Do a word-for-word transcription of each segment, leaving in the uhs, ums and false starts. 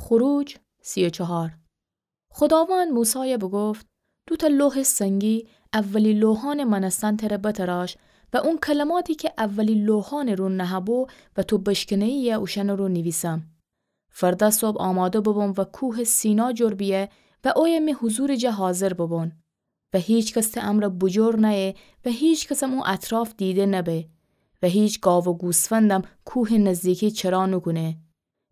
خروج سی و چهار. خداوند موسایَ بوگفت: دوتأ لوحٚ سنگی اولی لوحأنٚ مأنستن تره بتراش و اون کلماتی کی اولی لوحأنٚ رو نهه‌بو و تو بشکنه‌یی‌یه اوشأنٚ رو نیویسم. فردا صبح آماده ببون و کوهٚ سینا جور بیه و اویه می حضورٚ جا حاضر ببون. و هیکس ته امرأ بوجور نأیه و هیکسم او اطراف دیده نبه و هیچ گاو و گوسفندم کوهٚ نزدیکی چرا نوکونه.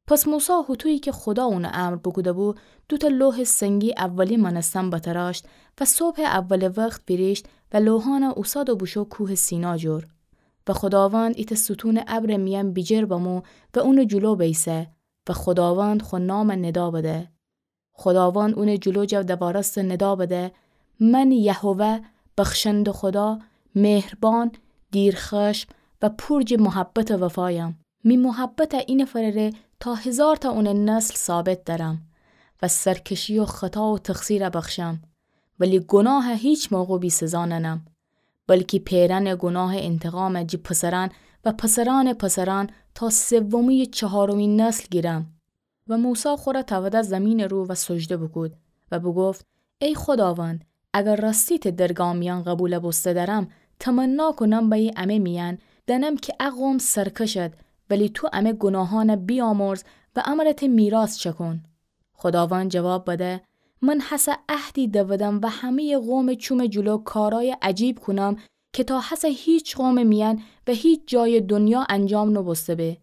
پس موسی هوطویی کی خدا اون امر بوکوده‌بو، دوتأ لوحٚ سنگی اولی مأنستن بتراشت و صبحٚ اولٚ وخت ویریشت و لوحأنَ اوساد و بوشو کوهٚ سینا جور. و خداوند ایتأ ستونٚ ابرٚ میأن بیجیر بمو و اونٚ جلو بیسه و خداوند خو نامَ ندا بده. خداوند اونٚ جلو جا دوارسته ندا بده: من یهوه، بخشنده خدا، مهربان، دیرخشم و پور جٚ محبت و وفایم. می محبت اینفرٚ ره تا هیزارتأ اونٚ نسل ثابت دأرم و سرکشی و خطا و تقصیرَ بخشم، ولی گناهَ هیچ موقع بی‌سزا ننم، بلکی پئرأنٚ گناهٚ انتقامَ جٚه پسرأن و پسرأنٚ پسرأن تا سومی و چهارمی نسل گیرم. و موسی خوره تأوده زیمینٚ رو و سجده بوکود و بوگفت: ای خداوند، اگر راستی ته درگا میأن قبولَ بوسته دأرم، تمنا کونم بأیی امه میأن دأنم کی ا قوم سرکشد، ولی تو امه گناهأنَ بیامرز و امرَ ته میراث چأکون. خداوند جواب بده: من هسه عهدی دودم و همه‌یٚ قومٚ چومٚ جلو کارأیٚ عجیب کونم کی تا هسه هیچ قومٚ میأن و هیچ جایٚ دنیا انجام نوبوسته به.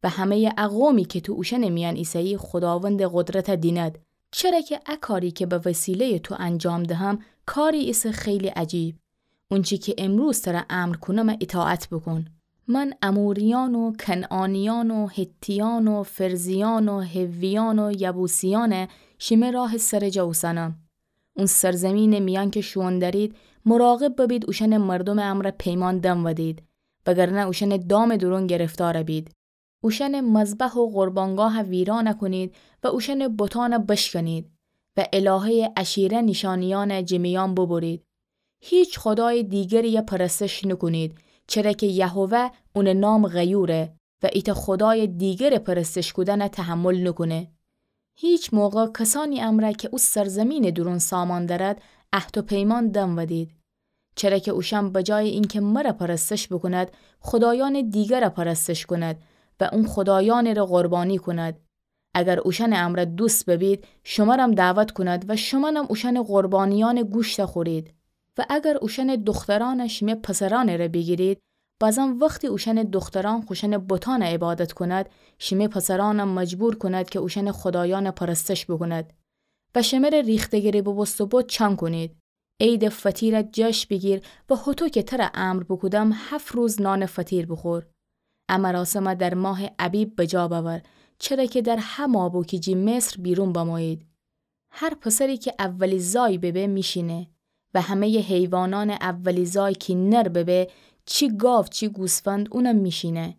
و همه‌یٚ ا قومی کی تو اوشأنٚ میأن ایسه‌یی خداوندٚ قدرتَ دینید، چره کی ا کاری کی به وسیله‌یٚ تو انجام دهم، کاری ایسه خیلی عجیب. اونچی کی امروز تره امر کونم اطاعت بوکون. من اموریأن و کنعانیأن و حتیأن و فرزیأن و حویأن و یبوسیأنَ شیمه راهٚ سرٚ جا اوسأنم. اون سرزیمینٚ میأن کی شوئون دأرید، مراقب ببید اوشأنٚ مردومٚ امرأ پیمان دنودید، وگرنه اوشأنٚ دامٚ دورون گرفتار بید. اوشأنٚ مذبح و قربانگاهَ ویران کونید و اوشأنٚ بتأنَ بشکنید و الهه‌یٚ عشیره نیشأنیأنَ جٚه میأن ببرید. هیچ خدایٚ دیگری‌یَ پرستش نوکونید، چره کی یهوه اونٚ نام غیوره و ایتأ خدایٚ دیگرٚ پرستش کودنَ تحمل نوکونه. هیچ موقع کسأنی امرأ کی او سرزیمینٚ دورون سامان دأرد، عهد و پیمان دنودید. چره کی اوشأن بجایٚ اینکی مرَ پرستش بوکوند، خدایأنٚ دیگرَ پرستش کوند و اون خدایأنٚ ره قربانی کوند. اگر اوشأنٚ امرأ دوست ببید، شمرم دعوت کوند و شمأنم اوشأنٚ قربانیأنٚ گوشتَ خورید. و اگر اوشأنٚ دوخترأنَ شیمه پسرأنٚ ره بیگیرید، بازم وختی اوشأنٚ دوخترأن خوشأنٚ بتأنَ عبادت کوند، شیمه پسرأنَ مجبور کوند کی اوشأنٚ خدایأنَ پرستش بوکوند و شمره ریخته‌گری ببوسته بت چأن کونید. عیدٚ فطیرَ جشن بیگیر و هوطو کی تره امر بوکودم هفت روز نانٚ فطیر بوخور. ا مراسمَ در ماهٚ ابیب بجا بأور، چره کی در هه ماه بو کی جٚه مصر بیرون بمویید. هر پسری کی اولی زای ببه میشینه و همه‌یٚ حیوانأنٚ اولی زای کی نر ببه، چی گاو چی گوسفند، اونم میشینه.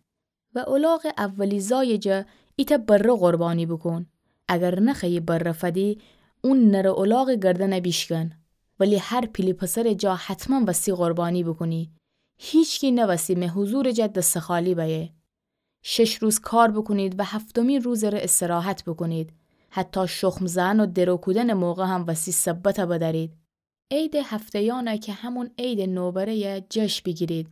و الاغٚ اولی زایٚ جا ایتأ بره قربانی بوکون. اگر نخوأیی بره فدی، اون نرٚ الاغٚ گردنَ بیشکن. ولی هر پیلی پسرٚ جا حتماً وستی قربانی بوکونی. هیچکی نوستی می حضورٚ جا دستٚ خالی بأیه. شش روز کار بوکونید و هفتمی روزٚ ره استراحت بوکونید. حتی شخم زئن و درو کودنٚ موقع هم وستی سبتَ بدأرید. عیدٚ هفته‌یأنَ کی همون عیدٚ نوبره‌یَ جشن بیگیرید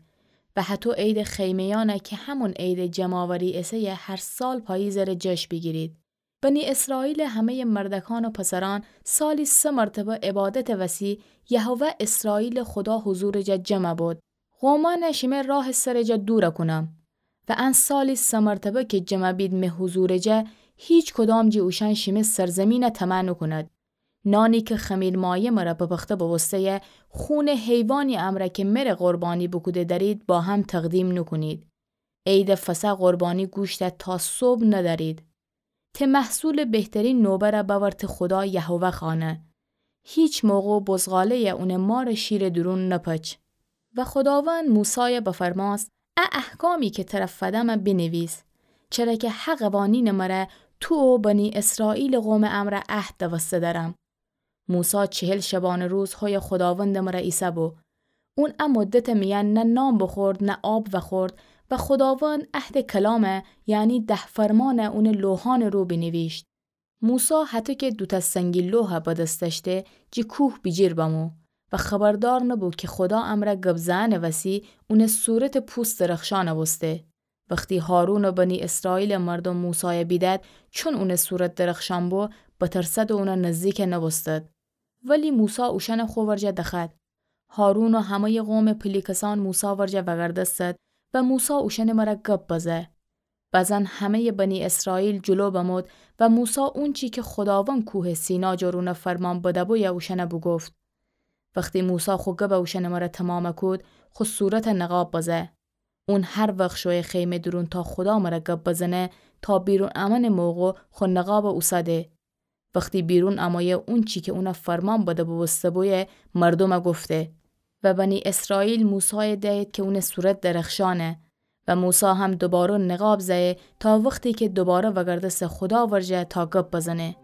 و هطو عیدٚ خیمه‌یأنَ کی همون عیدٚ جمع‌آوری ایسه‌یه هر سال پاییزٚ ره جشن بیگیرید. بنی اسرائیلٚ همه‌یٚ مردکأن و پسرأن سالی سه مرتبه عبادتٚ وسی یهوه اسرائیلٚ خدا حضورٚ جا جمع بد. قومأنَ شیمه راهٚ سرٚ جا دورَ کونم. و ان سالی سه مرتبه کی جمع بید می حضورٚ جا، هیچ کدام جٚه اوشأن شیمه سرزیمینَ طمع نوکوند. نانی کی خمیرمایه مره بپخته بوبوسته‌یه، خونٚ حیوانی امرأ کی مره قربانی بوکوده دأرید با هم تقدیم نوکونید. عیدٚ فصح قربانی گوشتَ تا صبح ندأرید. ته محصولٚ بهترین نوبرَ بأور ته خودا یهوه خانه. هیچ موقع بزغاله‌یَ اونٚ مارٚ شیرٚ دورون نپچ. و خداوند موسایَ بفرمأست: ا احکامی کی تره فدمه بینیویس، چره کی هه قوانینٚ مره تو و بنی اسرائیلٚ قومٚ امرأ عهد دوسته دأرم. موسی چهل شبانه روز هویه خداوندٚ مره ایسه‌بو. اون ا مدتٚ میأن نه نان بوخورد نه آب وخورد و خداوند عهدٚ کلامَ، یعنی ده فرمانَ اونٚ لوحأنٚ رو بینیویشت. موسی هطو کی دوتأ سنگی لوحَ به دس دأشته، جی کوه بیجیر بمو و خبردار نبو کی خودا امرأ گب زئنٚ وسی اونٚ صورتٚ پوست درخشأن بوسته. وختی هارون و بنی اسرائیلٚ مردوم موسایَ بیدد، چون اونٚ صورت درخشأن بو، بترسد و اونٚ نزدیک نوستد. ولی موسی اوشأنَ خو ورجه دخوأد. هارون و همه‌یٚ قومٚ پیله کسأن موسی ورجه وأگردستد و موسی اوشأنٚ مرأ گب بزه. بزن همه‌یٚ بنی اسرائیل جلو بمود و موسی اونچی کی خوداوند کوهٚ سینا جور اونَ فرمان بده‌بویه اوشأنَ بوگفت. وختی موسی خو گبَ اوشأنٚ مرأ تومامَ کود، خو صورتَ نقاب بزه. اون هر وخت شویه خیمه دورون تا خودا مرأ گب بزنه، تا بیرون امأنٚ موقع خو نقابَ اوسده. وختی بیرون امویه اونچی کی اونَ فرمان بده بوبوسته‌بویه مردومَ گفته. و بنی اسرائیل موسایَ دأیید کی اونٚ صورت درخشانه. و موسی هم دوباره نقاب زأیه تا وختی کی دوباره وأگردسته خودا ورجه تا گب بزنه.